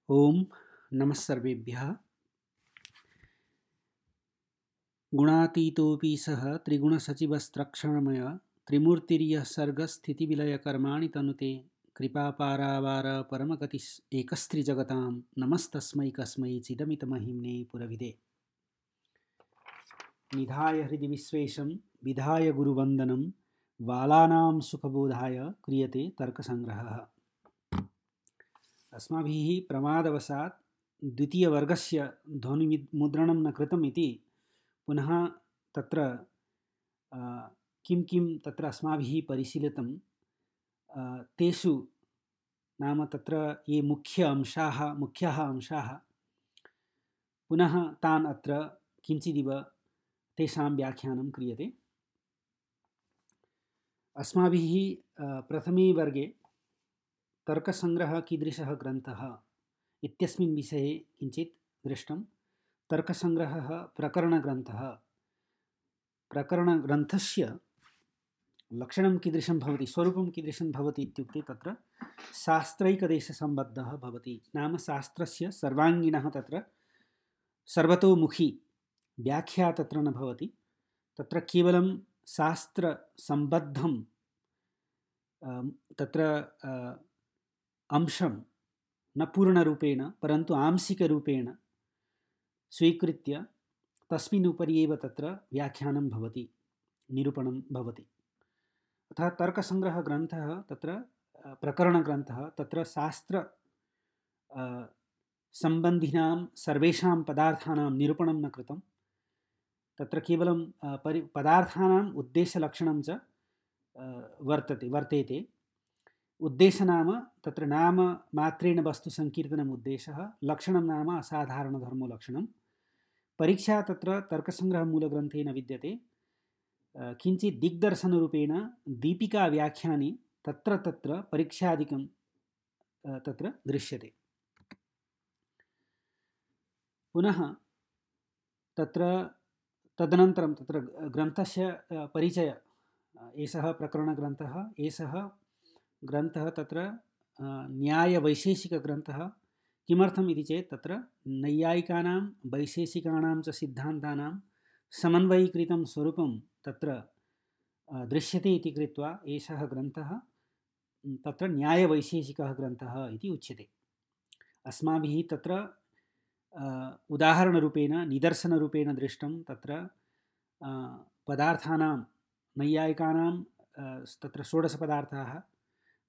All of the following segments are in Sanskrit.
ओम नमः सर्वेभ्यः। गुणातीतोऽपि सः त्रिगुणसचिवस्त्रक्षणमय त्रिमूर्तिर्यः सर्गस्थितिविलयकर्माणि तनुते कृपापारावार परमगतिः एकस्त्रिजगतां नमस्तस्मै कस्मै चिदमितमहिम्ने पुरविदे। निधाय हृदि विश्वेशं विधाय गुरुवन्दनं बालानां सुखबोधाय क्रियते तर्कसङ्ग्रहः। अस्माभिः प्रमादवशात् द्वितीयवर्गस्य ध्वनिमुद्रणं न कृतम् इति पुनः तत्र किं किं तत्र अस्माभिः परिशीलितं तेषु नाम तत्र ये मुख्याः अंशाः पुनः तान् अत्र किञ्चिदिव तेषां व्याख्यानं क्रियते। अस्माभिः प्रथमे वर्गे तर्कसङ्ग्रहः कीदृशः ग्रन्थः इत्यस्मिन् विषये किञ्चित् दृष्टं। तर्कसङ्ग्रहः प्रकरणग्रन्थः। प्रकरणग्रन्थस्य लक्षणं कीदृशं भवति, स्वरूपं कीदृशं भवति इत्युक्ते तत्र शास्त्रैकदेशसम्बद्धः भवति। नाम शास्त्रस्य सर्वाङ्गिणः तत्र सर्वतोमुखी व्याख्या तत्र न भवति। तत्र केवलं शास्त्रसम्बद्धं तत्र अंशं न पूर्णरूपेण परन्तु आंशिकरूपेण स्वीकृत्य तस्मिन् उपरि एव तत्र व्याख्यानं भवति, निरूपणं भवति। अतः तर्कसङ्ग्रहग्रन्थः तत्र प्रकरणग्रन्थः तत्र शास्त्र सम्बन्धिनां सर्वेषां पदार्थानां निरूपणं न कृतं। तत्र केवलं पदार्थानाम् उद्देशलक्षणं च वर्तेते। उद्देश्य नाम तत्र नाम मात्रेण वस्तु संकीर्तनम् उद्देशः, लक्षणं नाम असाधारणधर्मलक्षणं। परीक्षा तत्र तर्कसङ्ग्रहमूलग्रन्थे न विद्यते, किञ्चित् दिग्दर्शनरूपेण दीपिकाव्याख्याने तत्र तत्र परीक्षादिकं तत्र दृश्यते। पुनः तत्र तदनन्तरं तत्र ग्रन्थस्य परिचय, एषः प्रकरणग्रन्थः, एषः ग्रन्थः तत्र न्यायवैशेषिकग्रन्थः। किमर्थम् इति चेत् तत्र नैयायिकानां वैशेषिकाणां च सिद्धान्तानां समन्वयीकृतं स्वरूपं तत्र दृश्यते इति कृत्वा एषः ग्रन्थः तत्र न्यायवैशेषिकः ग्रन्थः इति उच्यते। अस्माभिः तत्र उदाहरणरूपेण निदर्शनरूपेण दृष्टं। तत्र पदार्थानां नैयायिकानां तत्र षोडशपदार्थाः,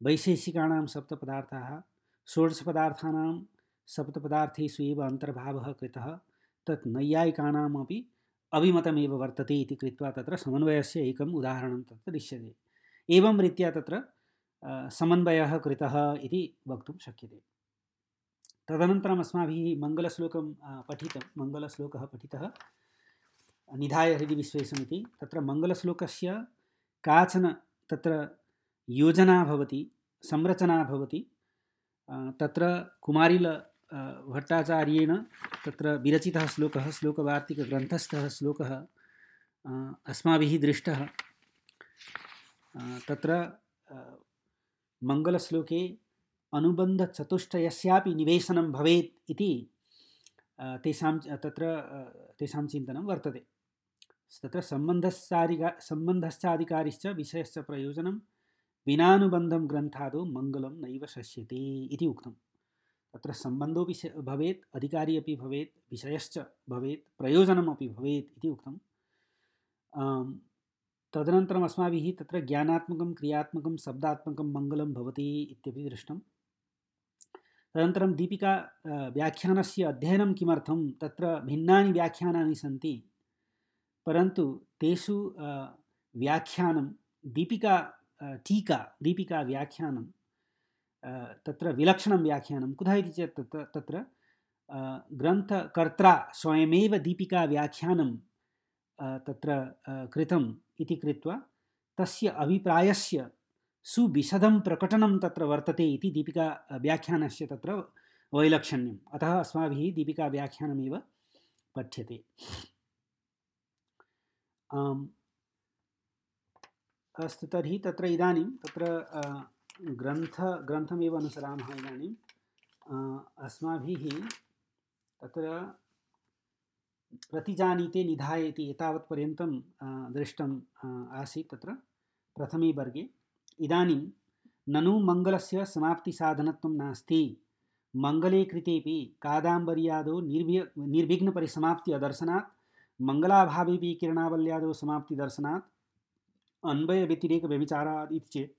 वैशेषिकाणां सप्तपदार्थाः। षोडशपदार्थानां सप्तपदार्थेषु एव अन्तर्भावः कृतः, तत् नैयायिकानामपि अभिमतमेव वर्तते इति कृत्वा तत्र समन्वयस्य एकम् उदाहरणं तत्र दृश्यते। एवं रीत्या तत्र समन्वयः कृतः इति वक्तुं शक्यते। तदनन्तरम् अस्माभिः मङ्गलश्लोकः पठितः, निधाय हृदि विश्वेशम् इति। तत्र मङ्गलश्लोकस्य काचन तत्र योजना भवति, संरचना भवति। तत्र कुमारिल भट्टाचार्येण तत्र विरचितः श्लोकः, श्लोकवार्तिकग्रन्थस्थः श्लोकः अस्माभिः दृष्टः। तत्र मङ्गलश्लोके अनुबन्धचतुष्टयस्यापि निवेशनं भवेत् इति तेषां चिन्तनं वर्तते। तत्र सम्बन्धश्चाधिकारिश्च विषयश्च प्रयोजनं विनानुबन्धं ग्रन्थादौ मङ्गलं नैव शस्यते इति उक्तं। तत्र सम्बन्धोऽपि भवेत्, अधिकारी अपि भवेत्, विषयश्च भवेत्, प्रयोजनमपि भवेत् इति उक्तं। तदनन्तरम् अस्माभिः तत्र ज्ञानात्मकं, क्रियात्मकं, शब्दात्मकं मङ्गलं भवति इत्यपि दृष्टं। तदनन्तरं दीपिका व्याख्यानस्य अध्ययनं किमर्थं, तत्र भिन्नानि व्याख्यानानि सन्ति, परन्तु तेषु व्याख्यानं दीपिका व्याख्यानं तत्र विलक्षणं व्याख्यानं। कुतः इति चेत् तत्र ग्रन्थकर्त्रा स्वयमेव दीपिका व्याख्यानं तत्र कृतम् इति कृत्वा तस्य अभिप्रायस्य सुविशदं प्रकटनं तत्र वर्तते इति दीपिका व्याख्यानस्य तत्र वैलक्षण्यम्। अतः अस्माभिः दीपिका व्याख्यानमेव पठ्यते। अस्तु, तर्हि तत्र इदानीं तत्र ग्रन्थमेव अनुसरामः। इदानीं अस्माभिः तत्र प्रतिजानीते निधायेति एतावत्पर्यन्तं दृष्टम् आसीत् तत्र प्रथमे वर्गे। इदानीं ननु मङ्गलस्य समाप्तिसाधनत्वं नास्ति, मङ्गले कृतेपि कादाम्बर्यादौ निर्विघ्नपरिसमाप्ति अदर्शनात्, मङ्गलाभावेपि किरणावल्यादौ समाप्तिदर्शनात् अन्वयव्यतिरेकव्यभिचारात् इति चेत्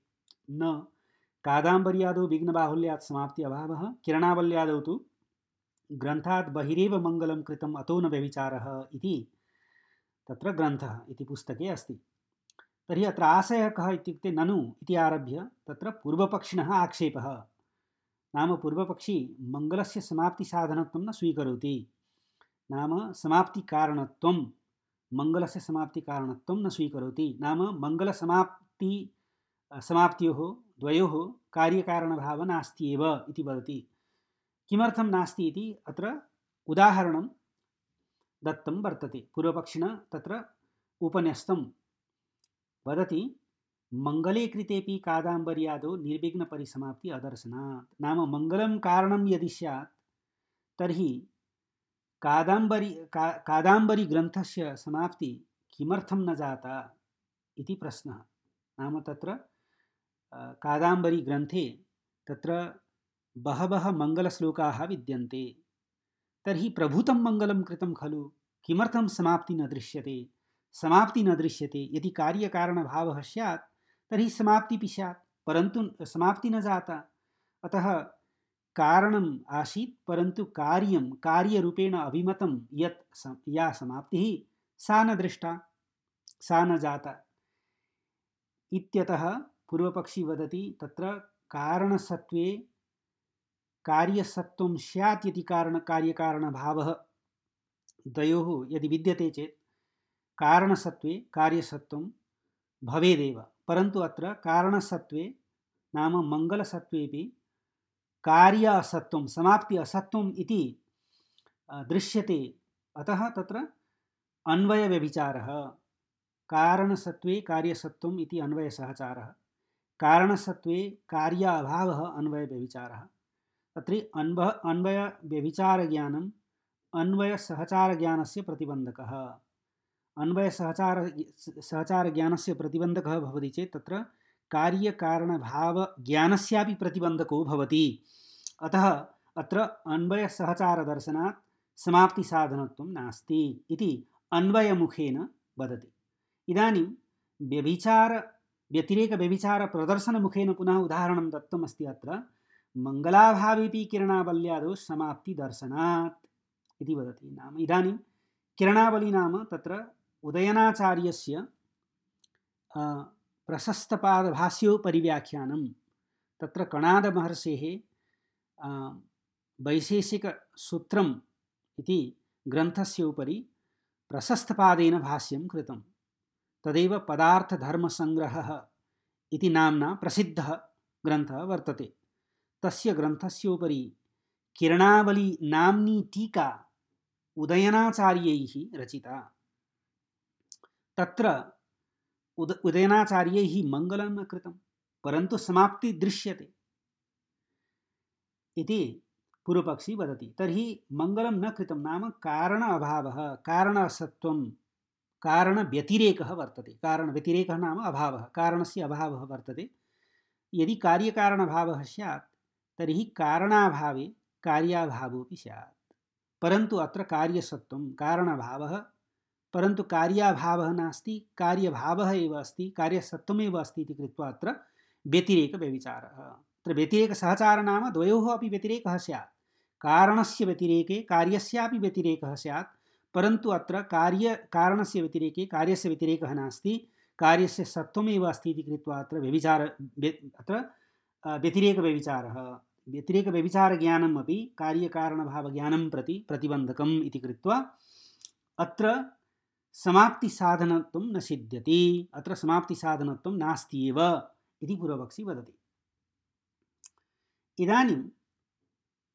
न कादाम्बर्यादौ विघ्नबाहुल्यात् समाप्ति अभावः, किरणावल्यादौ तु ग्रन्थात् बहिरेव मङ्गलं कृतम् अतो न व्यभिचारः इति तत्र ग्रन्थः इति पुस्तके अस्ति। तर्हि अत्र आशयः कः इत्युक्ते ननु इति आरभ्य तत्र पूर्वपक्षिणः आक्षेपः, नाम पूर्वपक्षी मङ्गलस्य समाप्तिसाधनत्वं न स्वीकरोति, नाम समाप्तिकारणत्वं मङ्गलस्य समाप्तिकारणत्वं न स्वीकरोति, नाम समाप्त्योः द्वयोः कार्यकारणभावः नास्ति एव इति वदति। किमर्थं नास्ति इति अत्र उदाहरणं दत्तं वर्तते। पूर्वपक्षिणा तत्र उपन्यस्तं वदति, मङ्गले कृतेपि कादाम्बर्यादौ निर्विघ्नपरिसमाप्ति अदर्शनात्, नाम मङ्गलं कारणं यदि स्यात् तर्हि कादाम्बरी ग्रन्थस्य समाप्ति किमर्थं न जाता इति प्रश्नः। नाम तत्र कादाम्बरी ग्रन्थे तत्र बहवः मङ्गलश्लोकाः विद्यन्ते, तर्हि प्रभूतं मङ्गलं कृतं खलु, किमर्थं समाप्ति न दृश्यते? समाप्ति न दृश्यते यदि कार्यकारणभावः स्यात् तर्हि समाप्तिपि स्यात्, परन्तु समाप्ति न जाता। अतः कारणम् आसीत् परन्तु कार्यरूपेण अभिमतं या समाप्तिः सा न दृष्टा, सा न जाता इत्यतः पूर्वपक्षी वदति तत्र कारणसत्त्वे कार्यसत्त्वं स्यात् यदि कार्यकारणभावः द्वयोः यदि विद्यते चेत् कारणसत्त्वे कार्यसत्त्वं भवेदेव, परन्तु अत्र कारणसत्त्वे नाम मङ्गलसत्त्वेपि कार्य असत्त्वं समाप्ति असत्त्वम् इति दृश्यते। अतः तत्र अन्वयव्यभिचारः, कारणसत्त्वे कार्यसत्त्वम् इति अन्वयसहचारः, कारणसत्त्वे कार्य अभावः अन्वयव्यभिचारः। तत्र अन्वयव्यभिचारज्ञानम् अन्वयसहचारज्ञानस्य प्रतिबन्धकः। अन्वयसहचारज्ञानस्य प्रतिबन्धकः भवति चेत् तत्र कार्यकारणभावज्ञानस्यापि प्रतिबन्धको भवति। अतः अत्र अन्वयसहचारदर्शनात् समाप्तिसाधनत्वं नास्ति इति अन्वयमुखेन वदति। इदानीं व्यतिरेकव्यभिचारप्रदर्शनमुखेन पुनः उदाहरणं दत्तमस्ति। अत्र मङ्गलाभावेपि किरणावल्यादौ समाप्तिदर्शनात् इति वदति। नाम इदानीं किरणावली नाम तत्र उदयनाचार्यस्य प्रशस्तपादभाष्योपरिव्याख्यानं, तत्र कणादमहर्षेः वैशेषिकसूत्रम् इति ग्रन्थस्य उपरि प्रशस्तपादेन भाष्यं कृतं। तदेव पदार्थधर्मसंग्रहः इति नाम्ना प्रसिद्धः ग्रन्थः वर्तते। तस्य ग्रन्थस्योपरि किरणावली नाम्नी टीका उदयनाचार्यैः रचिता। तत्र उदयनाचार्यैः मङ्गलं न कृतं परन्तु समाप्ति दृश्यते इति पूर्वपक्षी वदति। तर्हि मङ्गलं न कृतं नाम कारण अभावः, कारण असत्त्वं, कारणव्यतिरेकः वर्तते। कारणव्यतिरेकः नाम अभावः, कारणस्य अभावः वर्तते। यदि कार्यकारणभावः स्यात् तर्हि कारणाभावे कार्याभावोऽपि स्यात्, परन्तु अत्र कार्यसत्त्वं कारणभावः, परन्तु कार्याभावः नास्ति, कार्यभावः एव अस्ति, कार्यसत्त्वमेव अस्ति इति कृत्वा अत्र व्यतिरेकव्यभिचारः। अत्र व्यतिरेकसहचारः नाम द्वयोः अपि व्यतिरेकः स्यात्, कारणस्य व्यतिरेके कार्यस्यापि व्यतिरेकः स्यात्, परन्तु अत्र कारणस्य व्यतिरेके कार्यस्य व्यतिरेकः नास्ति, कार्यस्य सत्त्वमेव अस्ति इति कृत्वा अत्र व्यतिरेकव्यभिचारः। व्यतिरेकव्यभिचारज्ञानम् अपि कार्यकारणभावज्ञानं प्रति प्रतिबन्धकम् इति कृत्वा अत्र समाप्तिसाधनत्वं न सिद्ध्यति, अत्र समाप्तिसाधनत्वं नास्ति एव इति पूर्वपक्षी वदति। इदानीं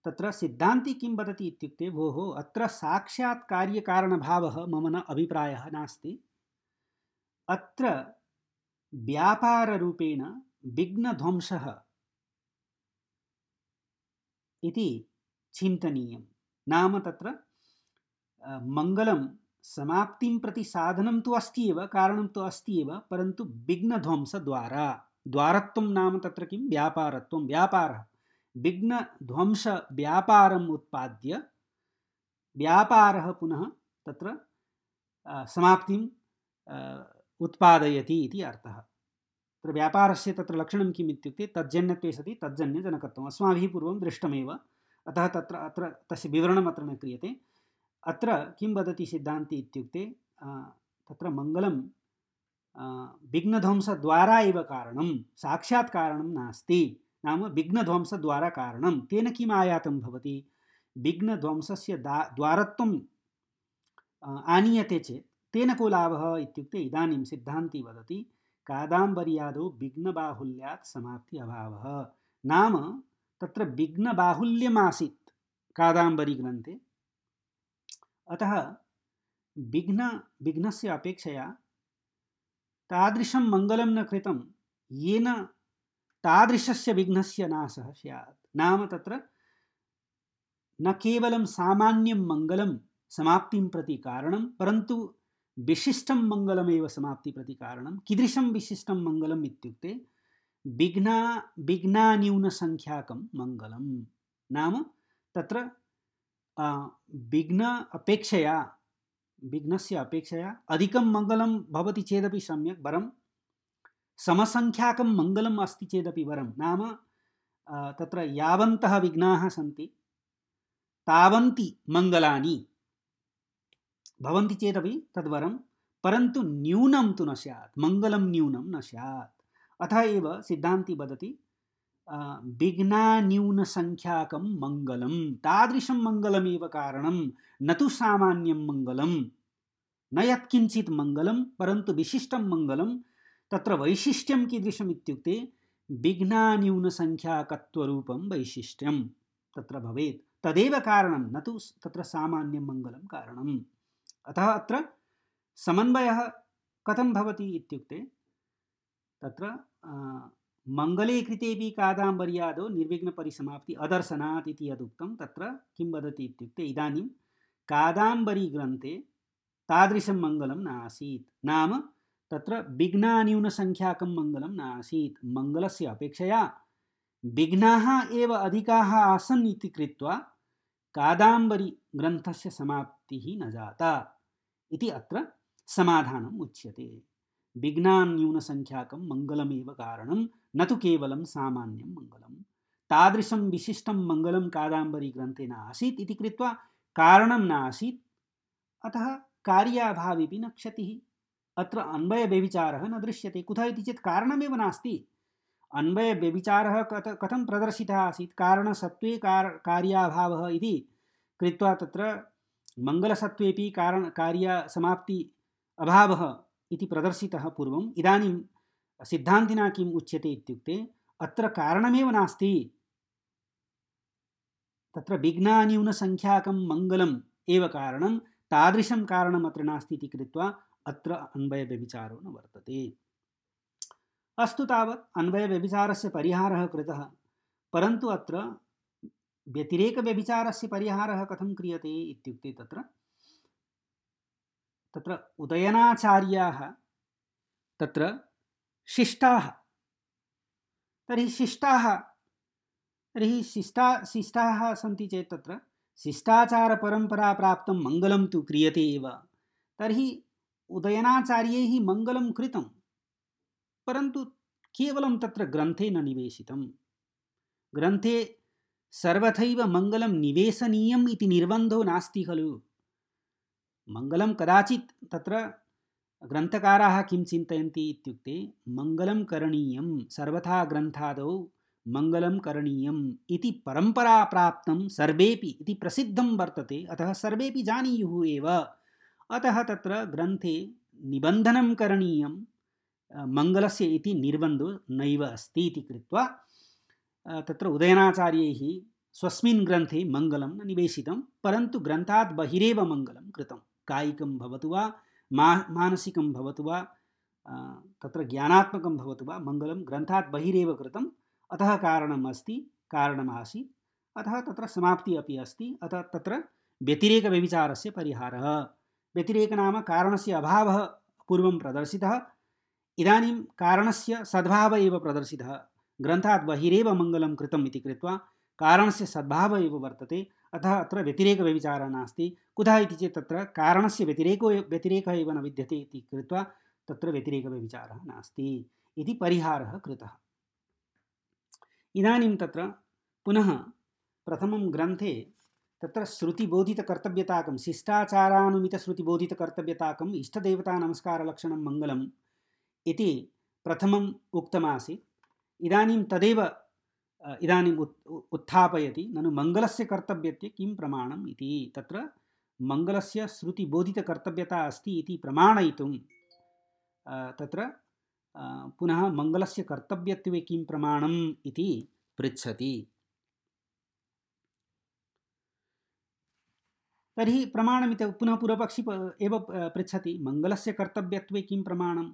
तत्र सिद्धान्ती किं वदति इत्युक्ते, भोः अत्र साक्षात् कार्यकारणभावः मम न अभिप्रायः नास्ति, अत्र व्यापाररूपेण विघ्नध्वंसः इति चिन्तनीयं। नाम तत्र मङ्गलं समाप्तिं प्रति साधनं तु अस्ति एव, कारणं तु अस्ति एव, परन्तु विघ्नध्वंसद्वारा, द्वारत्वं नाम तत्र किं व्यापारत्वं, व्यापारः, विघ्नध्वंसव्यापारम् उत्पाद्य व्यापारः पुनः तत्र समाप्तिं उत्पादयति इति अर्थः। तत्र व्यापारस्य तत्र लक्षणं किम् इत्युक्ते तज्जन्यत्वे सति तज्जन्यजनकत्वम् अस्माभिः पूर्वं दृष्टमेव, अतः तत्र अत्र तस्य विवरणम् अत्र न क्रियते। अत्र किं वदति सिद्धान्ति इत्युक्ते तत्र मङ्गलं विघ्नध्वंसद्वारा एव कारणं, साक्षात् कारणं नास्ति। नाम विघ्नध्वंसद्वारा कारणं, तेन किम् आयातं भवति, विघ्नध्वंसस्य द्वारत्वं आनीयते चेत् तेन को लाभः इत्युक्ते इदानीं सिद्धान्ति वदति कादाम्बर्यादौ विघ्नबाहुल्यात् समाप्ति अभावः। नाम तत्र विघ्नबाहुल्यमासीत् कादाम्बरीग्रन्थे, अतः विघ्नस्य अपेक्षया तादृशं मङ्गलं न कृतं येन तादृशस्य विघ्नस्य नाशः स्यात्। नाम तत्र न केवलं सामान्यं मङ्गलं समाप्तिं प्रति कारणं, परन्तु विशिष्टं मङ्गलमेव समाप्ति प्रति कारणं। कीदृशं विशिष्टं मङ्गलम् इत्युक्ते विघ्नान्यूनसङ्ख्याकं मङ्गलं। नाम तत्र विघ्नस्य अपेक्षया अधिकं मङ्गलं भवति चेदपि सम्यक्, वरं समसङ्ख्याकं मङ्गलम् अस्ति चेदपि वरं। नाम तत्र यावन्तः विघ्नाः सन्ति तावन्ति मङ्गलानि भवन्ति चेदपि तद्वरं, परन्तु न्यूनं तु न स्यात्, मङ्गलं न्यूनं न स्यात्। अतः एव सिद्धान्ति वदति विघ्नान्यूनसङ्ख्याकं मङ्गलं, तादृशं मङ्गलमेव कारणं, न तु सामान्यं मङ्गलं, न यत्किञ्चित् मङ्गलं, परन्तु विशिष्टं मङ्गलं। तत्र वैशिष्ट्यं कीदृशम् इत्युक्ते विघ्नान्यूनसङ्ख्याकत्वरूपं वैशिष्ट्यं तत्र भवेत्, तदेव कारणं, न तु तत्र सामान्यं मङ्गलं कारणम्। अतः अत्र समन्वयः कथं भवति इत्युक्ते तत्र मङ्गले कृतेपि कादाम्बर्यादौ निर्विघ्नपरिसमाप्ति अदर्शनात् इति यदुक्तं, तत्र किं वदति इत्युक्ते इदानीं कादाम्बरीग्रन्थे तादृशं मङ्गलं नासीत्। नाम तत्र विघ्नान्यूनसङ्ख्याकं मङ्गलं नासीत्, मङ्गलस्य अपेक्षया विघ्नाः एव अधिकाः आसन् इति कृत्वा कादाम्बरी ग्रन्थस्य समाप्तिः न जाता इति अत्र समाधानम् उच्यते। विघ्नान्यूनसङ्ख्याकं मङ्गलमेव कारणं, न तु केवलं सामान्यं मङ्गलं। तादृशं विशिष्टं मङ्गलं कादाम्बरी ग्रन्थे न आसीत् इति कृत्वा कारणं न आसीत्, अतः कार्याभावेपि न क्षतिः। अत्र अन्वयव्यभिचारः न दृश्यते। कुतः इति चेत् कारणमेव नास्ति। अन्वयव्यभिचारः कथं प्रदर्शितः आसीत्, कारणसत्त्वे कार्याभावः इति कृत्वा तत्र मङ्गलसत्त्वेपि कार्यसमाप्ति अभावः इति प्रदर्शितः पूर्वम्। इदानीं सिद्धान्तिना किम् उच्यते इत्युक्ते अत्र कारणमेव नास्ति, तत्र विघ्नान्यूनसङ्ख्याकं मङ्गलम् एव कारणं, तादृशं कारणम् अत्र नास्ति इति कृत्वा अत्र अन्वयव्यभिचारो न वर्तते। अस्तु, तावत् अन्वयव्यभिचारस्य परिहारः कृतः, परन्तु अत्र व्यतिरेकव्यभिचारस्य परिहारः कथं क्रियते इत्युक्ते तत्र उदयनाचार्याः तत्र शिष्टाः, तर्हि शिष्टाः सन्ति चेत् तत्र शिष्टाचारपरम्पराप्राप्तं मङ्गलं तु क्रियते एव। तर्हि उदयनाचार्यैः मङ्गलं कृतं, परन्तु केवलं तत्र ग्रन्थे न निवेशितं। ग्रन्थे सर्वथैव मङ्गलं निवेशनीयम् इति निर्बन्धो नास्ति खलु। मङ्गलं कदाचित् तत्र ग्रन्थकाराः किं चिन्तयन्ति इत्युक्ते मङ्गलं करणीयं, सर्वथा ग्रन्थादौ मङ्गलं करणीयम् इति परम्परा प्राप्तं सर्वेपि इति प्रसिद्धं वर्तते, अतः सर्वेपि जानीयुः एव। अतः तत्र ग्रन्थे निबन्धनं करणीयं मङ्गलस्य इति निर्बन्धो नैव अस्ति इति कृत्वा तत्र उदयनाचार्यैः स्वस्मिन् ग्रन्थे मङ्गलं न निवेशितं, परन्तु ग्रन्थात् बहिरेव मङ्गलं कृतं। कायिकं भवतु वा मानसिकं भवतु वा तत्र ज्ञानात्मकं भवतु वा, मङ्गलं ग्रन्थात् बहिरेव कृतं। अतः कारणमासीत्, अतः तत्र समाप्तिः अपि अस्ति। अतः तत्र व्यतिरेकव्यभिचारस्य परिहारः। व्यतिरेक नाम कारणस्य अभावः पूर्वं प्रदर्शितः, इदानीं कारणस्य सद्भावः एव प्रदर्शितः। ग्रन्थात् बहिरेव मङ्गलं कृतम् इति कृत्वा कारणस्य सद्भावः एव वर्तते, अतः अत्र व्यतिरेकव्यभिचारः नास्ति। कुतः इति चेत् तत्र कारणस्य व्यतिरेकः एव न विद्यते इति कृत्वा तत्र व्यतिरेकव्यभिचारः नास्ति इति परिहारः कृतः। इदानीं तत्र पुनः प्रथमं ग्रन्थे तत्र श्रुतिबोधितकर्तव्यताकं शिष्टाचारानुमितश्रुतिबोधितकर्तव्यताकम् इष्टदेवतानमस्कारलक्षणं मङ्गलम् इति प्रथमम् उक्तमासीत्। इदानीं तदेव इदानीम् उत्थापयति। ननु मङ्गलस्य कर्तव्यत्वे किं प्रमाणम् इति। तत्र मङ्गलस्य श्रुतिबोधितकर्तव्यता अस्ति इति प्रमाणयितुं तत्र पुनः मङ्गलस्य कर्तव्यत्वे किं प्रमाणम् इति पृच्छति। तर्हि प्रमाणमिति पुनः पूर्वपक्षी एव पृच्छति, मङ्गलस्य कर्तव्यत्वे किं प्रमाणम्।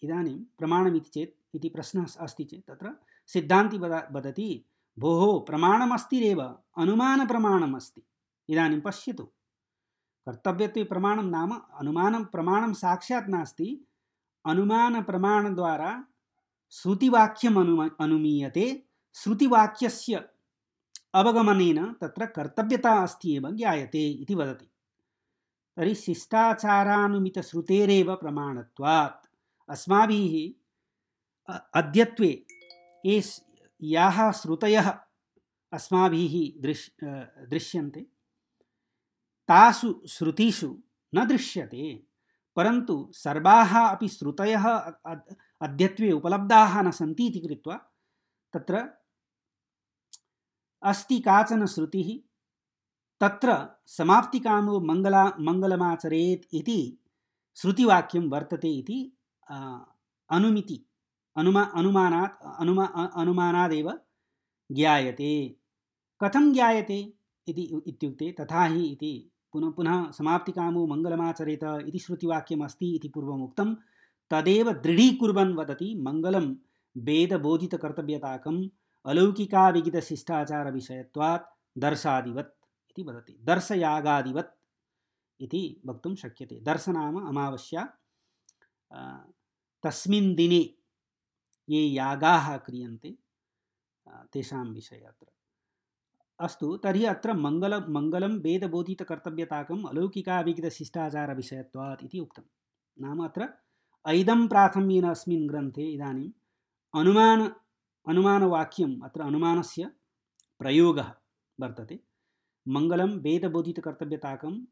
इदानीं प्रमाणमिति चेत् इति प्रश्नः अस्ति चेत् तत्र सिद्धान्ति वदति, भोः प्रमाणमस्तिरेव, अनुमानप्रमाणम् अस्ति। इदानीं पश्यतु, कर्तव्यत्वे प्रमाणं नाम अनुमानं प्रमाणं साक्षात् नास्ति, अनुमानप्रमाणद्वारा श्रुतिवाक्यम् अनुमीयते, श्रुतिवाक्यस्य अवगमनेन तत्र कर्तव्यता अस्ति एव ज्ञायते इति वदति। तर्हि शिष्टाचारानुमितश्रुतेरेव प्रमाणत्वात् अस्माभिः अद्यत्वे याः श्रुतयः अस्माभिः दृश्यन्ते तासु श्रुतिषु न दृश्यते, परन्तु सर्वाः अपि श्रुतयः अद्यत्वे उपलब्धाः न सन्ति इति कृत्वा तत्र अस्ति काचन श्रुतिः, तत्र समाप्तिकामो मङ्गलमाचरेत् इति श्रुतिवाक्यं वर्तते इति अनुमानादेव ज्ञायते। कथं ज्ञायते इत्युक्ते तथा हि इति पुनः समाप्तिकामो मङ्गलमाचरेत इति श्रुतिवाक्यम् अस्ति इति पूर्वम् उक्तं, तदेव दृढीकुर्वन् वदति मङ्गलं वेदबोधितकर्तव्यताकम् अलौकिकाविगितशिष्टाचारविषयत्वात् दर्शादिवत् इति वदति। दर्शयागादिवत् इति वक्तुं शक्यते। दर्श नाम अमावास्या, तस्मिन् दिने ये यागाः क्रियन्ते तेषां विषये अत्र अस्तु। तर्हि अत्र मङ्गलं वेदबोधितकर्तव्यताकम् अलौकिकाविगितशिष्टाचारविषयत्वात् इति उक्तं। नाम अत्र ऐदं प्राथम्येन अस्मिन् ग्रन्थे इदानीम् अनुमानवाक्यम्, अत्र अनुमानस्य प्रयोगः वर्तते। मङ्गलं वेदबोधितकर्तव्यताकम्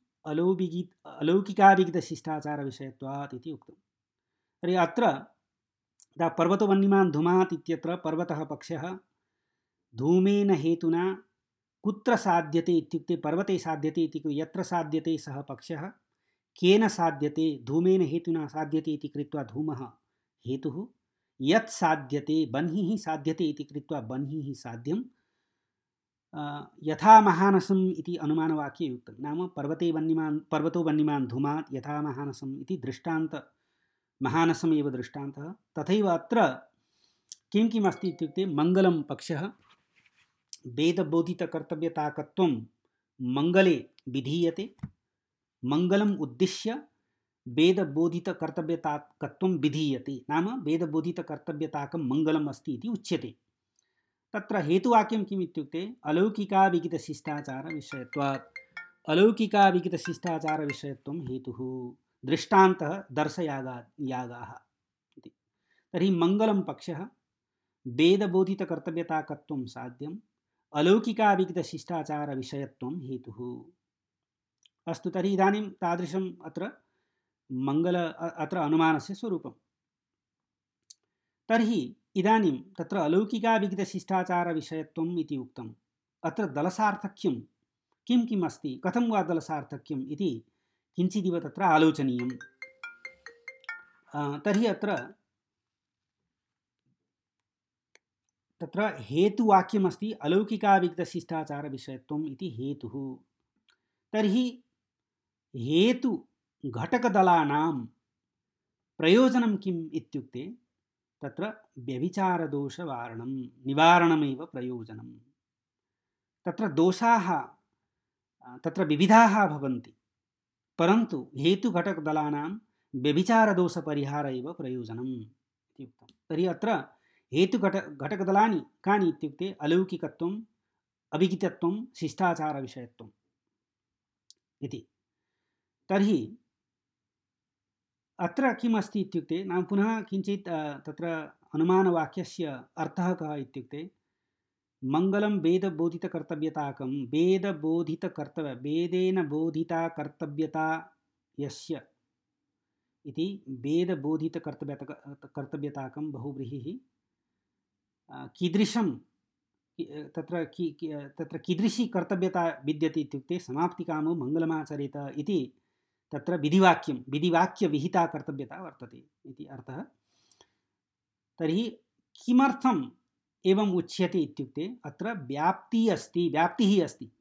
अलौकिकाविगितशिष्टाचारविषयत्वात् इति उक्तं। तर्हि अत्र पर्वतो वह्निमान् धूमात् इत्यत्र पर्वतः पक्षः धूमेन हेतुना कुत्र साध्यते इत्युक्ते पर्वते साध्यते इति यत्र साध्यते सः पक्षः, केन साध्यते धूमेन हेतुना साध्यते इति कृत्वा धूमः हेतुः, यत् साध्यते बह्निः साध्यते इति कृत्वा बह्निः साध्यं, यथा महानसम् इति अनुमानवाक्ये उक्तं। नाम पर्वतो वह्निमान् धूमात् यथा महानसम् इति दृष्टान्त, महानसम् एव दृष्टान्तः। तथैव अत्र किं किम् अस्ति इत्युक्ते मङ्गलं पक्षः वेदबोधितकर्तव्यताकत्वं मङ्गले विधीयते, मङ्गलम् उद्दिश्य वेदबोधितकर्तव्यताकत्वं विधीयते, नाम वेदबोधितकर्तव्यताकं मङ्गलम् अस्ति इति उच्यते। तत्र हेतुवाक्यं किम् इत्युक्ते अलौकिकाविगितशिष्टाचारविषयत्वात्, अलौकिकाविगितशिष्टाचारविषयत्वं हेतुः, दृष्टान्तः दर्शयागाः इति। तर्हि मङ्गलं पक्षः वेदबोधितकर्तव्यताकत्वं साध्यम्, अलौकिकाविगितशिष्टाचारविषयत्वं हेतुः। अस्तु, तर्हि इदानीं तादृशम् अत्र अत्र अनुमानस्य स्वरूपं। तर्हि इदानीं तत्र अलौकिकाविगितशिष्टाचारविषयत्वम् इति उक्तम्। अत्र दलसार्थक्यं किं किम् अस्ति, कथं वा दलसार्थक्यम् इति किञ्चिदिव तत्र आलोचनीयं। तर्हि तत्र हेतुवाक्यमस्ति अलौकिकाविगितशिष्टाचारविषयत्वम् इति हेतुः। तर्हि हेतुघटकदलानां प्रयोजनं किम् इत्युक्ते तत्र व्यभिचारदोषवारणं निवारणमेव प्रयोजनम्। तत्र दोषाः तत्र विविधाः भवन्ति, परन्तु हेतुघटकदलानां व्यभिचारदोषपरिहार एव प्रयोजनम् इति उक्तं। तर्हि अत्र घटकदलानि कानि इत्युक्ते अलौकिकत्वम्, अभिगितत्वं, शिष्टाचारविषयत्वम् इति। तर्हि अत्र किम् अस्ति इत्युक्ते नाम पुनः किञ्चित् तत्र अनुमानवाक्यस्य अर्थः कः इत्युक्ते मङ्गलं वेदबोधितकर्तव्यताकं वेदेन बोधिता कर्तव्यता यस्य इति वेदबोधितकर्तव्यताकं बहुव्रीहिः कीदृशं तत्र कीदृशी कर्तव्यता विद्यते इत्युक्ते समाप्तिकामो मङ्गलमाचरेत इति तत्र विधिवाक्यविहिता कर्तव्यता वर्तते इति अर्थः। तर्हि किमर्थम् एवम् उच्यते इत्युक्ते अत्र व्याप्तिः अस्ति।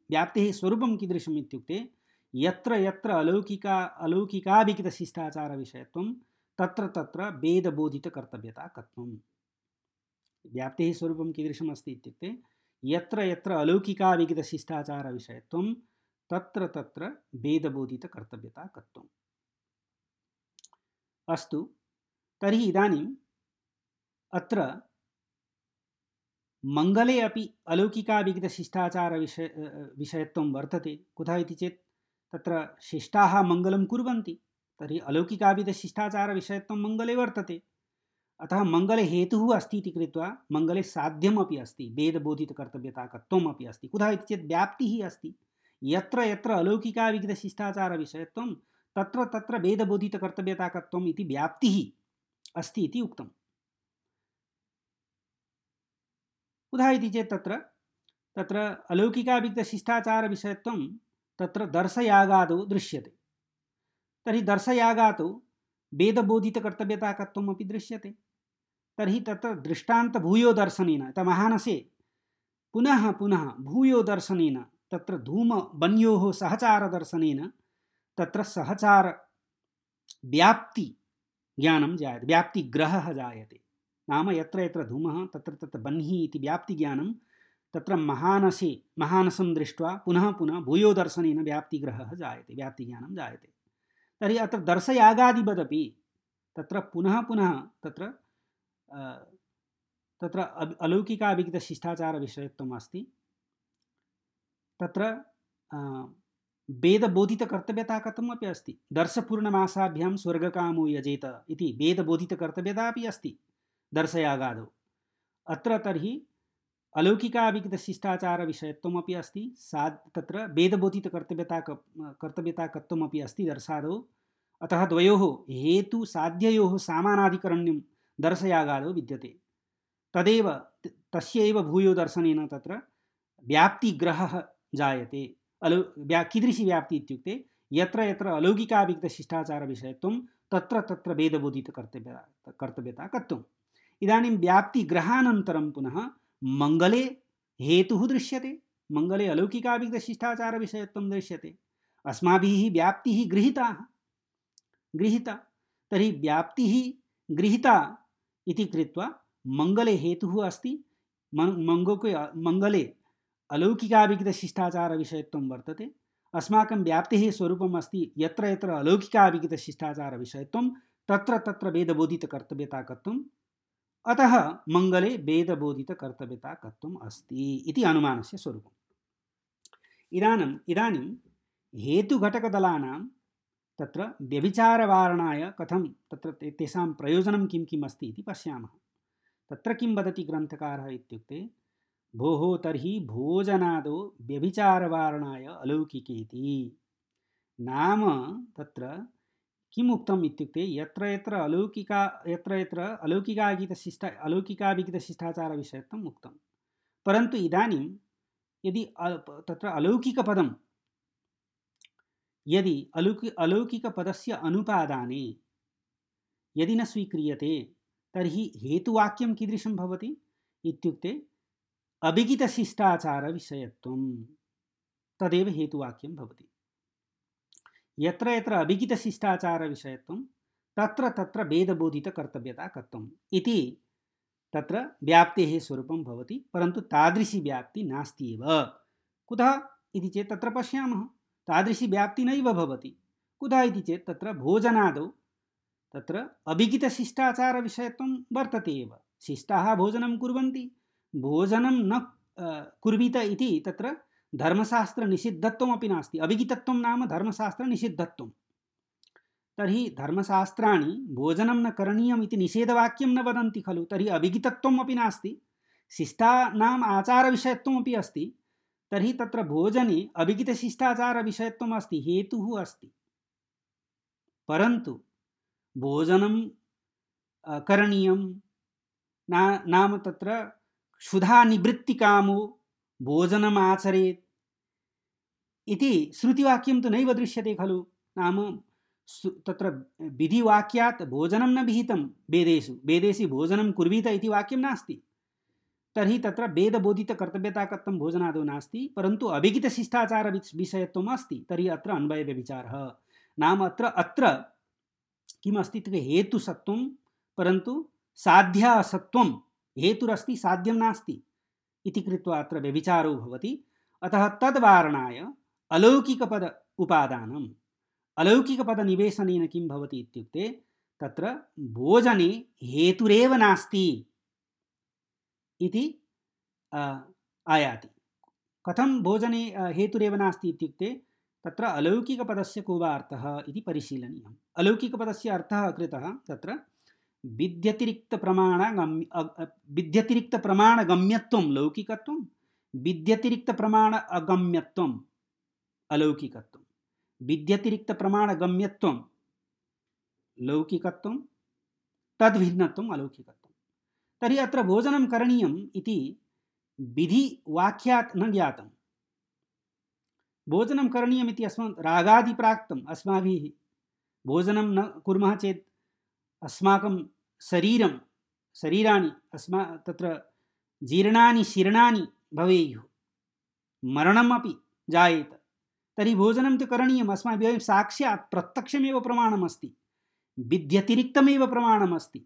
व्याप्तेः स्वरूपं कीदृशम् इत्युक्ते यत्र यत्र अलौकिकाभिगितशिष्टाचारविषयत्वं तत्र तत्र वेदबोधितकर्तव्यता कत्वम्। व्याप्तेः स्वरूपं कीदृशम् अस्ति इत्युक्ते यत्र यत्र अलौकिकाभिगितशिष्टाचारविषयत्वं तत्र तत्र वेदबोधितकर्तव्यता कत्वम्। अस्तु, तर्हि इदानीम् अत्र मङ्गले अपि अलौकिकाभिगितशिष्टाचारविषयत्वं वर्तते। कुतः इति चेत् तत्र शिष्टाः मङ्गलं कुर्वन्ति, तर्हि अलौकिकाभिगितशिष्टाचारविषयत्वं मङ्गले वर्तते। अतः मङ्गले हेतुः अस्ति इति कृत्वा मङ्गले साध्यमपि अस्ति, वेदबोधितकर्तव्यताकत्वम् अपि अस्ति। कुतः इति चेत् व्याप्तिः अस्ति। यत्र यत्र अलौकिकाभिगितशिष्टाचारविषयत्वं तत्र तत्र वेदबोधितकर्तव्यताकत्वम् इति व्याप्तिः अस्ति इति उक्तम्। कुतः इति चेत् तत्र अलौकिकाभिगितशिष्टाचारविषयत्वं तत्र दर्शयागादौ दृश्यते। तर्हि दर्शयागादौ वेदबोधितकर्तव्यताकत्वम् अपि दृश्यते। तर्हि तत्र दृष्टान्तभूयो दर्शनेन महानसे पुनः पुनः भूयो दर्शनेन तत्र धूमवन्योः सहचारदर्शनेन तत्र सहचार व्याप्ति ज्ञानं जायते, व्याप्तिग्रहः जायते। नाम यत्र यत्र धूमः तत्र तत्र बह्निः इति व्याप्तिज्ञानं तत्र महानसं दृष्ट्वा पुनः पुनः भूयो दर्शनेन व्याप्तिग्रहः जायते, व्याप्तिज्ञानं जायते। तर्हि अत्र दर्शयागादिवदपि तत्र पुनः पुनः तत्र अलौकिकाभिगितशिष्टाचारविषयत्वम् अस्ति। तत्र वेदबोधितकर्तव्यता कथम् अपि अस्ति। दर्शपूर्णमासाभ्यां स्वर्गकामो यजेत इति वेदबोधितकर्तव्यता अपि अस्ति दर्शयागादौ। अत्र तर्हि अलौकिकाभिगितशिष्टाचारविषयत्वम् अपि अस्ति, तत्र वेदबोधितकर्तव्यताकत्वम् अपि अस्ति दर्शादौ। अतः द्वयोः हेतुसाध्ययोः सामानाधिकरण्यं दर्शयागादौ विद्यते। तदेव तस्य एव भूयो दर्शनेन तत्र व्याप्तिग्रहः जायते। कीदृशी व्याप्ति इत्युक्ते यत्र यत्र अलौकिकाभिगितशिष्टाचारविषयत्वं तत्र तत्र वेदबोधितकर्तव्यता कत्वम्। इदानीं व्याप्तिग्रहानन्तरं पुनः मङ्गले हेतुः दृश्यते, मङ्गले अलौकिकाभिगितशिष्टाचारविषयत्वं दृश्यते। अस्माभिः व्याप्तिः गृहीता, तर्हि व्याप्तिः गृहीता इति कृत्वा मङ्गले हेतुः अस्ति। मङ्गले अलौकिकाभिगितशिष्टाचारविषयत्वं वर्तते। अस्माकं व्याप्तेः स्वरूपम् अस्ति यत्र यत्र अलौकिकाभिगितशिष्टाचारविषयत्वं तत्र तत्र वेदबोधितकर्तव्यताकत्वम्। अतः मङ्गले वेदबोधितकर्तव्यताकत्वम् अस्ति इति अनुमानस्य स्वरूपम्। इदानीं हेतुघटकदलानां तत्र व्यभिचारवारणाय कथं तत्र तेषां प्रयोजनं किं किम् अस्ति इति पश्यामः। तत्र किं वदति ग्रन्थकारः इत्युक्ते भोः तर्हि भोजनादौ व्यभिचारवारणाय अलौकिकेति। नाम तत्र किम् उक्तम् इत्युक्ते यत्र यत्र अलौकिकाभिगितशिष्टाचारविषयत्वम् उक्तं, परन्तु इदानीं यदि तत्र अलौकिकपदं यदि अलौकिकपदस्य अनुपादाने यदि न स्वीक्रियते तर्हि हेतुवाक्यं कीदृशं भवति इत्युक्ते अभिगितशिष्टाचारविषयत्वं, तदेव हेतुवाक्यं भवति। यत्र यत्र अभिगितशिष्टाचारविषयत्वं तत्र तत्र वेदबोधितकर्तव्यता कत्वम् इति तत्र व्याप्तेः स्वरूपं भवति, परन्तु तादृशी व्याप्ति नास्ति एव। कुतः इति चेत् तत्र पश्यामः तादृशी व्याप्ति नैव भवति। कुतः इति चेत् तत्र भोजनादौ तत्र अभिहितशिष्टाचारविषयत्वं वर्तते एव। शिष्टाः भोजनं कुर्वन्ति, भोजनं न कुर्वीत इति तत्र धर्मशास्त्रनिषिद्धत्वमपि नास्ति। अभिहितत्वं नाम धर्मशास्त्रनिषिद्धत्वं। तर्हि धर्मशास्त्राणि भोजनं न करणीयम् इति निषेधवाक्यं न वदन्ति खलु। तर्हि अभिहितत्वम् अपि नास्ति, शिष्टानाम् आचारविषयत्वमपि अस्ति। तर्हि तत्र भोजने अभिहितशिष्टाचारविषयत्वम् अस्ति, हेतुः अस्ति। परन्तु भोजनं करणीयं नाम तत्र क्षुधा निवृत्तिकामो भोजनम् आचरेत् इति श्रुतिवाक्यं तु नैव दृश्यते खलु। नाम तत्र विधिवाक्यात् भोजनं न विहितं वेदेषु। वेदेषु भोजनं कुर्वीत इति वाक्यं नास्ति। तर्हि तत्र वेदबोधितकर्तव्यता कथं भोजनादौ नास्ति, परन्तु अभिहितशिष्टाचारविषयत्वम् अस्ति। तर्हि अत्र अन्वयव्यभिचारः नाम अत्र किमस्ति इत्युक्ते हेतुसत्वं परन्तु साध्यासत्वं। हेतुरस्ति साध्यं नास्ति इति कृत्वा अत्र व्यभिचारो भवति। अतः तद्वारणाय अलौकिकपद उपादानम्। अलौकिकपदनिवेशनेन किं भवति इत्युक्ते तत्र भोजने हेतुरेव नास्ति इति आयाति। कथं भोजने हेतुरेव नास्ति इत्युक्ते तत्र अलौकिकपदस्य को वा अर्थः इति परिशीलनीयम्। अलौकिकपदस्य अर्थः कृतः तत्र विद्यतिरिक्तप्रमाणगम्यत्वं लौकिकत्वं, विद्यतिरिक्तप्रमाण अगम्यत्वम् अलौकिकत्वं, विद्यतिरिक्तप्रमाणगम्यत्वं लौकिकत्वं, तद्भिन्नत्वम् अलौकिकत्वं। तर्हि अत्र भोजनं करणीयम् इति विधिवाक्यात् न ज्ञातं। भोजनं करणीयम् इति रागादिप्राक्तम् अस्माभिः। भोजनं न कुर्मः चेत् अस्माकं शरीराणि तत्र जीर्णानि शीर्णानि भवेयुः, मरणमपि जायेत। तर्हि भोजनं तु करणीयम् अस्माभिः। साक्षात् प्रत्यक्षमेव प्रमाणमस्ति, विद्यतिरिक्तमेव प्रमाणमस्ति।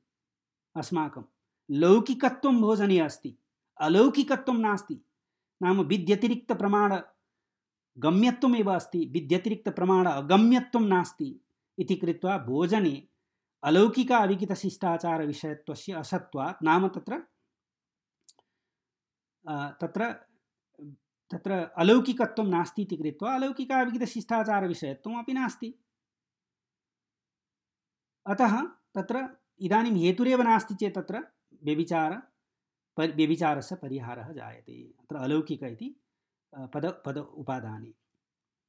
अस्माकं लौकिकत्वं भोजने अस्ति, अलौकिकत्वं नास्ति। नाम विद्यतिरिक्तप्रमाणगम्यत्वमेव अस्ति, विद्यतिरिक्तप्रमाण अगम्यत्वं नास्ति इति कृत्वा भोजने अलौकिक अविहितशिष्टाचारविषयत्वस्य असत्वात् नाम तत्र अलौकिकत्वं नास्ति इति कृत्वा अलौकिक अविहितशिष्टाचारविषयत्वम् अपि नास्ति। अतः तत्र इदानीं हेतुरेव नास्ति चेत् तत्र व्यभिचारस्य परिहारः जायते। अत्र अलौकिक इति पद उपादाने।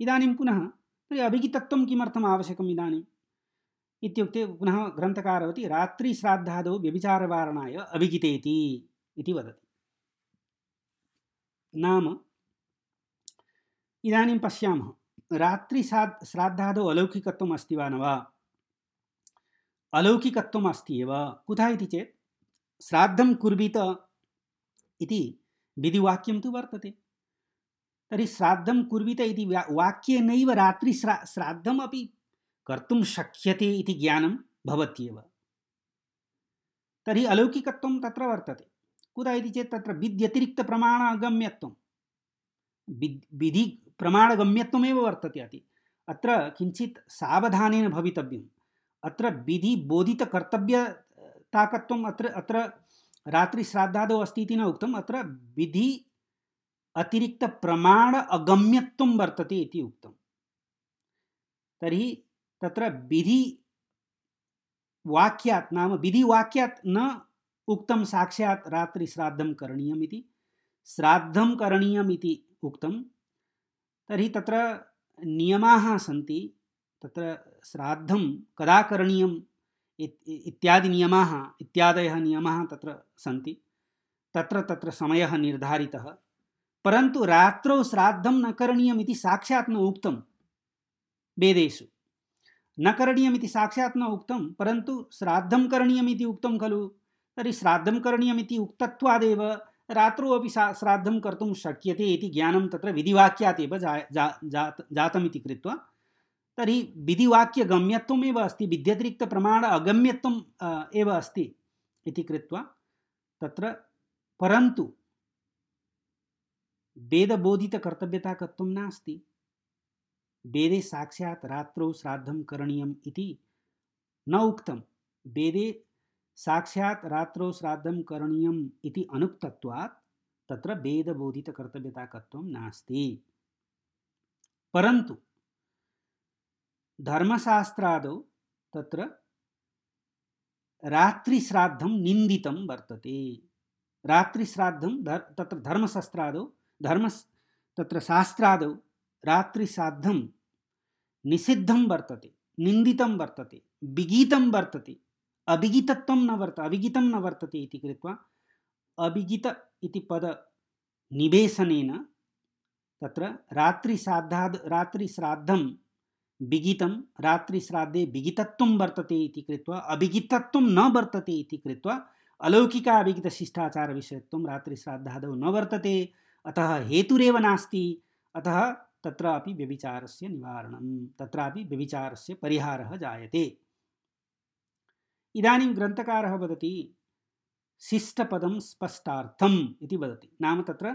इदानीं पुनः तर्हि अभिहितत्वं किमर्थम् आवश्यकम् इदानीम् इत्युक्ते पुनः ग्रन्थकारः वदति रात्रिश्राद्धादौ व्यभिचारवारणाय अभिहितेति इति वदति। नाम इदानीं पश्यामः रात्रिश्राद्धादौ अलौकिकत्वम् अस्ति वा न वा। अलौकिकत्वम् अस्ति एव। कुतः इति चेत् श्राद्धं कुर्वीत इति विधिवाक्यं तु वर्तते। तर्हि श्राद्धं कुर्वीत इति वाक्येनैव श्राद्धमपि कर्तुं शक्यते इति ज्ञानं भवत्येव। तर्हि अलौकिकत्वं तत्र वर्तते। कुतः इति चेत् तत्र विद्यतिरिक्तप्रमाणगम्यत्वं, विधिप्रमाणगम्यत्वमेव वर्तते। अत्र किञ्चित् सावधानेन भवितव्यम्। अत्र विधिबोधितकर्तव्यताकत्वम् अत्र रात्रिश्राद्धादौ अस्ति इति न उक्तम्। अत्र विधि अतिरिक्तप्रमाण अगम्यत्वं वर्तते इति उक्तं। तर्हि तत्र विधिवाक्यात् नाम विधिवाक्यात् न उक्तं साक्षात् रात्रिश्राद्धं करणीयम् इति, श्राद्धं करणीयम् इति उक्तं। तर्हि तत्र नियमाः सन्ति। तत्र श्राद्धं कदा करणीयम् इत्यादयः नियमाः तत्र सन्ति। तत्र समयः निर्धारितः। परन्तु रात्रौ श्राद्धं न करणीयम् इति साक्षात् न उक्तं वेदेषु। न करणीयम् इति साक्षात् न उक्तं, परन्तु श्राद्धं करणीयम् इति उक्तं खलु। तर्हि श्राद्धं करणीयम् इति उक्तत्वादेव रात्रौ अपि श्राद्धं कर्तुं शक्यते इति ज्ञानं तत्र विधिवाक्यात् एव जातमिति कृत्वा तर्हि विधिवाक्यगम्यत्वमेव अस्ति, विद्यतिरिक्तप्रमाण अगम्यत्वम् एव अस्ति इति कृत्वा तत्र परन्तु वेदबोधितकर्तव्यताकत्वं नास्ति। वेदे साक्षात् रात्रौ श्राद्धं करणीयम् इति न उक्तं। वेदे साक्षात् रात्रौ श्राद्धं करणीयम् इति अनुक्तत्वात् तत्र वेदबोधितकर्तव्यताकत्वं नास्ति। परन्तु धर्मशास्त्रादौ तत्र रात्रिश्राद्धं निन्दितं वर्तते। रात्रिश्राद्धं तत्र धर्मशास्त्रादौ तत्र शास्त्रादौ रात्रिश्राद्धं निषिद्धं वर्तते, निन्दितं वर्तते, विगीतं वर्तते, अविगितत्वं न अविगितं न वर्तते इति कृत्वा अविगित इति पद निवेशनेन तत्र रात्रिश्राद्धं विगितं, रात्रिश्राद्धे विगितत्वं वर्तते इति कृत्वा अविगितत्वं न वर्तते इति कृत्वा अलौकिक अविगितशिष्टाचार विषयत्वं रात्रिश्राद्धादौ न वर्तते। अतः हेतुरेव नास्ति। अतः तत्रापि व्यभिचारस्य निवारणं, तत्रापि व्यभिचारस्य परिहारः जायते। इदानीं ग्रन्थकारः वदति शिष्टपदं स्पष्टार्थम् इति वदति। नाम तत्र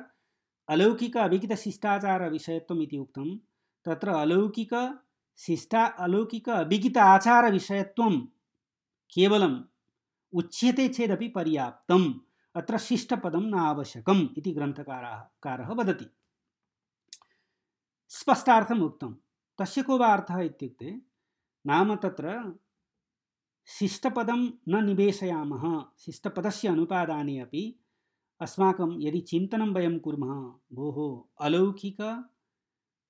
अलौकिक अविगितशिष्टाचार विषयत्वम् इति उक्तं। तत्र अलौकिक अविगित आचार विषयत्वं केवलम् उच्यते चेदपि पर्याप्तम्, अत्र शिष्टपदं न आवश्यकम् इति ग्रन्थकारः वदति। स्पष्टार्थम् उक्तं। तस्य को वा अर्थः इत्युक्ते, नाम तत्र शिष्टपदं न निवेशयामः, शिष्टपदस्य अनुपादाने अपि अस्माकं यदि चिन्तनं वयं कुर्मः, भोः अलौकिक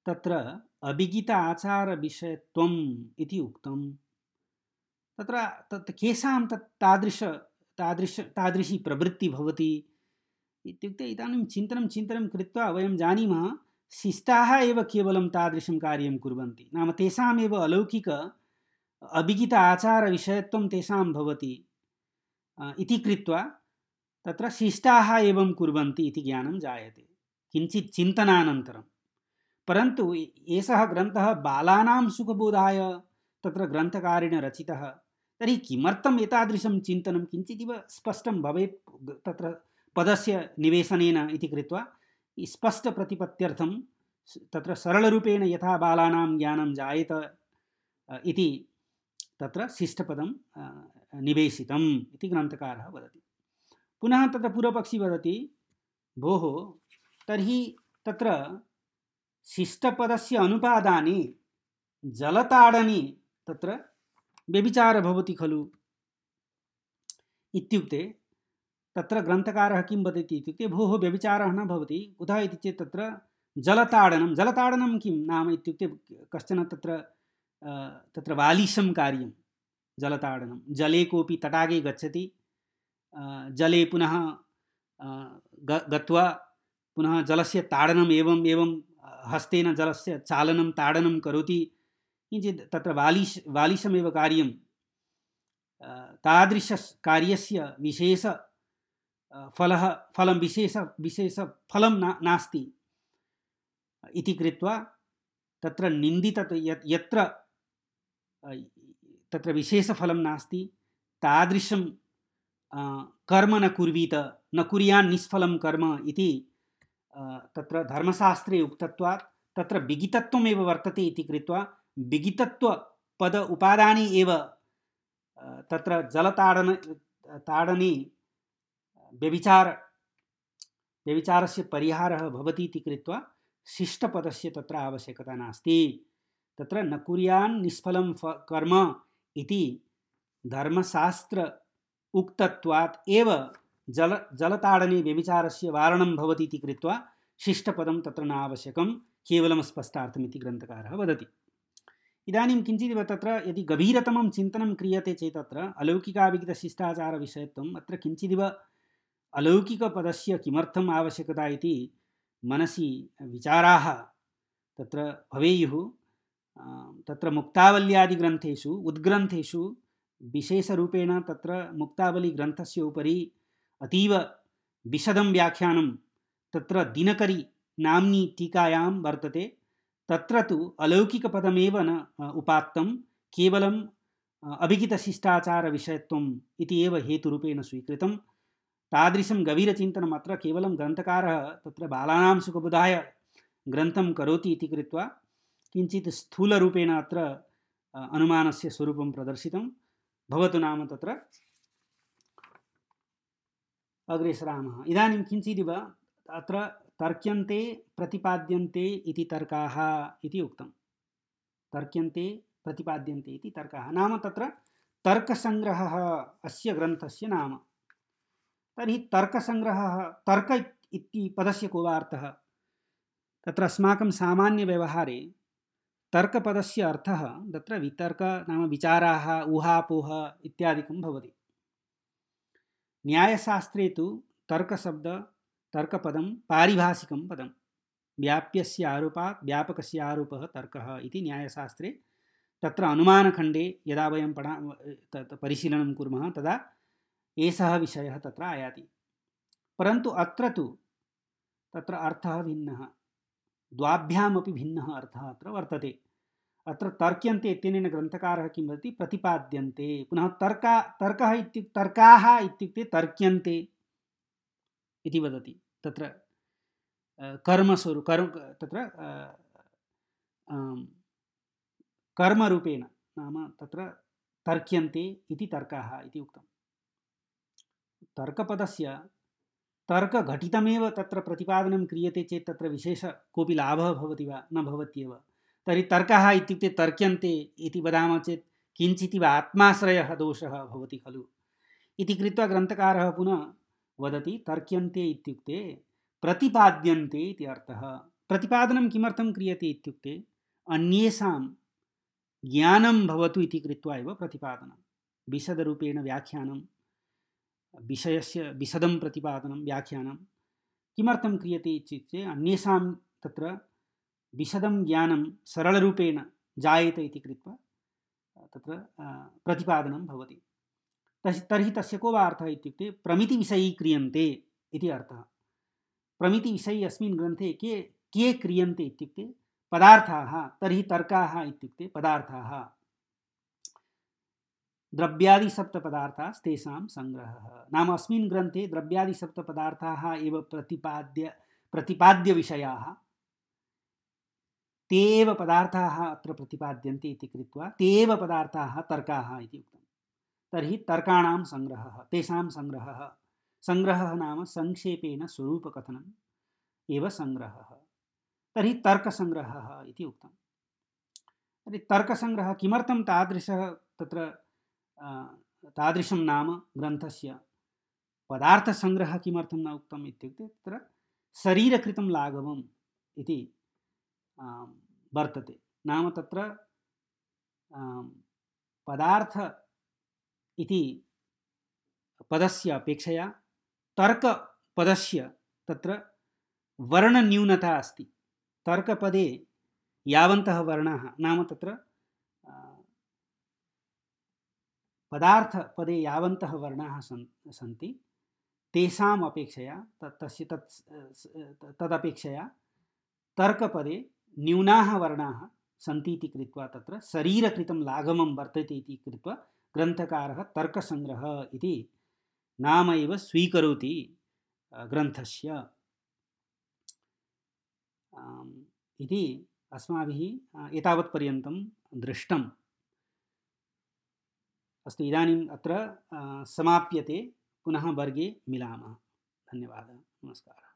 तत्र अविगित आचार विषयत्वम् इति उक्तं, तत्र केषां तादृशी प्रवृत्ति भवति इत्युक्ते, इदानीं चिन्तनं कृत्वा वयं जानीमः शिष्टाः एव केवलं तादृशं कार्यं कुर्वन्ति। नाम तेषामेव अलौकिक अविगित आचार विषयत्वं तेषां भवति इति कृत्वा तत्र शिष्टाः एवं कुर्वन्ति इति ज्ञानं जायते किञ्चित् चिन्तनानन्तरं। परन्तु एषः ग्रन्थः बालानां सुखबोधाय तत्र ग्रन्थकारेण रचितः, तर्हि किमर्थम् एतादृशं चिन्तनं किञ्चिदिव स्पष्टं भवेत् तत्र पदस्य निवेशनेन इति कृत्वा स्पष्टप्रतिपत्त्यर्थं तत्र सरलरूपेण यथा बालानां ज्ञानं जायेत इति तत्र शिष्टपदं निवेशितम् इति ग्रन्थकारः वदति। पुनः तत्र पूर्वपक्षी वदति, भोः तर्हि तत्र शिष्टपदस्य अनुपादाने जलताडने तत्र व्यभिचारः भवति खलु इत्युक्ते, तत्र ग्रन्थकारः किं वदति इत्युक्ते, भोः व्यभिचारः न भवति। कुतः इति चेत् तत्र जलताडनं किं नाम इत्युक्ते, कश्चन तत्र वालिशं कार्यं जलताडनं। जले कोऽपि तटागे गच्छति, जले पुनः गत्वा पुनः जलस्य ताडनम् एवं हस्तेन जलस्य चालनं ताडनं करोति, किञ्चित् तत्र वालिशमेव कार्यं। तादृशकार्यस्य विशेष फलं विशेषफलं नास्ति इति कृत्वा तत्र यत्र तत्र विशेषफलं नास्ति तादृशं कर्म न कुर्वीत, न कुर्यान् निष्फलं कर्म इति तत्र धर्मशास्त्रे उक्तत्वात् तत्र विगितत्वमेव वर्तते इति कृत्वा विगितत्व पद उपादाने एव तत्र जलताडने व्यभिचारस्य परिहारः भवति इति कृत्वा शिष्टपदस्य तत्र आवश्यकता नास्ति। तत्र न कुर्यान् निष्फलं कर्म इति धर्मशास्त्र उक्तत्वात् एव जलताडने व्यभिचारस्य वारणं भवति इति कृत्वा शिष्टपदं तत्र न आवश्यकं, केवलं स्पष्टार्थम् इति ग्रन्थकारः वदति। इदानीं किञ्चिदिव तत्र यदि गभीरतमं चिन्तनं क्रियते चेत् तत्र अलौकिकाविगितशिष्टाचारविषयत्वम् अत्र किञ्चिदिव अलौकिकपदस्य किमर्थम् आवश्यकता इति मनसि विचाराः तत्र भवेयुः। तत्र मुक्तावल्यादिग्रन्थेषु उद्ग्रन्थेषु विशेषरूपेण तत्र मुक्तावलीग्रन्थस्य उपरि अतीव विशदं व्याख्यानं तत्र दिनकरी नाम्नी टीकायां वर्तते। तत्र तु अलौकिकपदमेव न उपात्तं, केवलं अभिगितशिष्टाचारविषयत्वम् इति एव हेतुरूपेण स्वीकृतं। तादृशं गभीरचिन्तनम् अत्र केवलं ग्रन्थकारः तत्र बालानां सुखबोधाय ग्रन्थं करोति इति कृत्वा किञ्चित् स्थूलरूपेण अत्र अनुमानस्य स्वरूपं प्रदर्शितं। भवतु नाम तत्र अग्रे सरामः। इदानीं किञ्चिदिव अत्र तर्क्यन्ते प्रतिपाद्यन्ते इति तर्काः इति उक्तं। तर्क्यन्ते प्रतिपाद्यन्ते इति तर्काः नाम तत्र तर्कसङ्ग्रहः अस्य ग्रन्थस्य नाम। तर्हि तर्कसङ्ग्रहः, तर्क इति पदस्य को वा अर्थः? तत्र अस्माकं सामान्यव्यवहारे तर्कपदस्य अर्थः तत्र वितर्क नाम विचाराः, ऊहापोह इत्यादिकं भवति। न्यायशास्त्रे तु तर्कशब्द तर्कपदं पारिभाषिकं पदं, व्याप्यस्य आरोपात् व्यापकस्य आरोपः तर्कः इति न्यायशास्त्रे तत्र अनुमानखण्डे यदा वयं परिशीलनं कुर्मः तदा एषः विषयः तत्र आयाति। परन्तु अत्र तु तत्र अर्थः भिन्नः, द्वाभ्यामपि भिन्नः अर्थः अत्र वर्तते। अत्र तर्क्यन्ते इत्यनेन ग्रन्थकारः किं वदति? प्रतिपाद्यन्ते। पुनः तर्काः इत्युक्ते तर्क्यन्ते इति वदति। तत्र तत्र कर्मरूपेण नाम तत्र तर्क्यन्ते इति तर्काः इति उक्तं। तर्कपदस्य तर्कघटितमेव तत्र प्रतिपादनं क्रियते चेत् तत्र विशेष कोऽपि लाभः भवति वा? न भवत्येव। तर्हि तर्काः इत्युक्ते तर्क्यन्ते इति वदामः चेत् किञ्चिदिव आत्माश्रयः दोषः भवति खलु इति कृत्वा ग्रन्थकारः पुनः वदति तर्क्यन्ते इत्युक्ते प्रतिपाद्यन्ते इति अर्थः। प्रतिपादनं किमर्थं क्रियते इत्युक्ते अन्येषां ज्ञानं भवतु इति कृत्वा एव प्रतिपादनं। विशदरूपेण व्याख्यानं, विषयस्य विशदं प्रतिपादनं, व्याख्यानं किमर्थं क्रियते इत्युक्ते अन्येषां तत्र विशदं ज्ञानं सरलरूपेण जायेत इति कृत्वा तत्र प्रतिपादनं भवति। तर्हि तस्य को वा अर्थः इत्युक्ते प्रमितिविषयी क्रियन्ते इति अर्थः। प्रमितिविषयी अस्मिन् ग्रन्थे के क्रियन्ते इत्युक्ते पदार्थाः। तर्हि तर्काः इत्युक्ते पदार्थाः, द्रव्यादिसप्तपदार्थास्तेषां सङ्ग्रहः। नाम अस्मिन् ग्रन्थे द्रव्यादिसप्तपदार्थाः एव प्रतिपाद्यविषयाः, ते एव पदार्थाः अत्र प्रतिपाद्यन्ते इति कृत्वा ते एव पदार्थाः तर्काः इति उक्तं। तर्हि तर्काणां सङ्ग्रहः, तेषां सङ्ग्रहः। सङ्ग्रहः नाम संक्षेपेण स्वरूपकथनम् एव सङ्ग्रहः। तर्हि तर्कसङ्ग्रहः इति उक्तं। तर्हि तर्कसङ्ग्रहः किमर्थं तादृशं नाम ग्रन्थस्य? पदार्थसङ्ग्रहः किमर्थं न उक्तम् इत्युक्ते तत्र शरीरकृतं लाघवम् इति वर्तते। नाम तत्र पदार्थ इति पदस्य अपेक्षया तर्कपदस्य तत्र वर्णन्यूनता अस्ति। तर्कपदे यावन्तः वर्णाः नाम तत्र पदार्थपदे यावन्तः वर्णाः सन्ति तेषाम् अपेक्षया तदपेक्षया तर्कपदे न्यूनाः वर्णाः सन्ति इति कृत्वा तत्र शरीरकृतं लाघवं वर्तते इति कृत्वा ग्रन्थकारः तर्कसङ्ग्रहः इति नाम एव स्वीकरोति ग्रन्थस्य इति अस्माभिः एतावत्पर्यन्तं दृष्टम्। अस्तु, इदानीम् अत्र समाप्यते। पुनः वर्गे मिलामः। धन्यवादः, नमस्कारः।